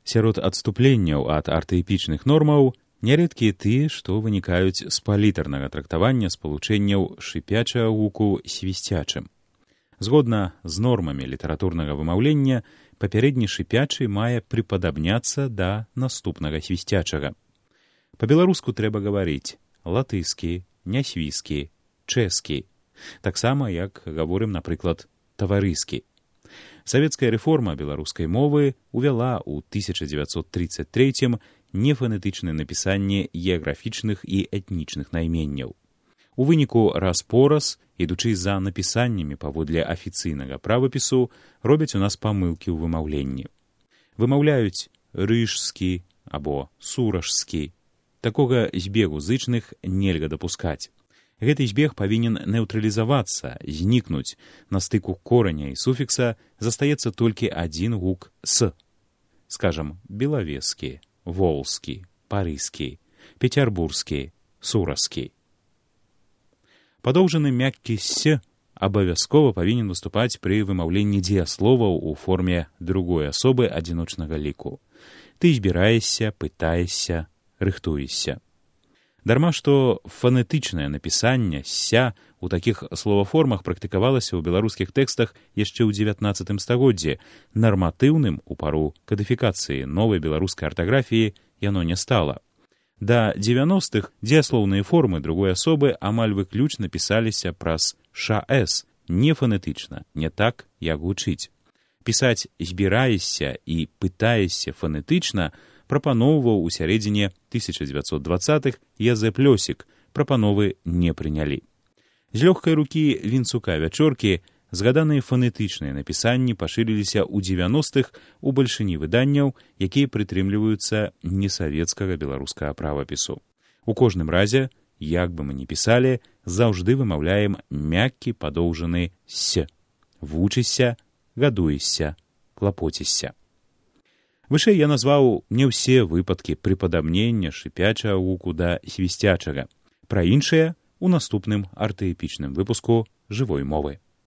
Сярод адступленняў ад артаэпічных нормаў нярэдкія тыя, што вынікаюць з палітарнага трактавання спалучэнняў шыпячага гуку свісцячым. Згодна з нормамі літаратурнага вымаўлення, папярэдні шыпячы мае прыпадабняцца да наступнага свісцячага. Па-беларуску трэба гаварыць латыскі, нясвіскі, чэскі, таксама, як гаворым, напрыклад, таварыскі. Савецкая рэформа беларускай мовы увяла ў 1933 нефанетычнае напісанне геаграфічных і этнічных найменняў. У выніку раз-пораз, ідучы за напісаннямі паводле афіцыйнага правапісу, робяць у нас памылкі ў вымаўленні. Вымаўляюць рыжскі або сурашскі. Такога збегу зычных нельга дапускаць. Гэты збег павінен неўтралізавацца, знікнуць. На стыку кораня і суфікса застаецца толькі адзін гук «с». Скажам, белавескі, волскі, парыскі, пецярбурскі, сураскі. Падоўжаны мяккі «с» абавязкова павінен выступаць пры вымаўленні дзеясловаў у форме другой асобы адзіночнага ліку. Ты збіраешся, пытаешся, рыхтуешся. Дарма, што фанетычнае напісанне «ся» у такіх словаформах практыкавалася ў беларускіх тэкстах яшчэ ў 19 стагоддзі, нарматыўным у пару кадыфікацыі новай беларускай артаграфіі яно не стала. Да 90-х дзеяслоўныя формы другой асобы амаль выключна пісаліся праз «ша-эс», не фанетычна, не так, як гучыць. Пісаць «збіраешся» і «пытаешся» фанетычна прапаноўваў у сярэдзіне 1920-х Язэп Лёсік, прапановы не прынялі. З лёгкай рукі Вінцука-Вячоркі згаданыя фанетычныя напісанні пашырыліся ў 90-х у бальшыні выданняў, якія прытрымліваюцца несавецкага беларускага правапісу. У кожным разе, як бы мы ні пісалі, заўжды вымаўляем мяккі падоўжаны «с». Вучышся, гадуешся, клапоцішся. Вышэй я назваў не ўсе выпадкі прыпадабнення шыпячага гуку да свісцячага. Пра іншыя ў наступным артаэпічным выпуску жывой мовы.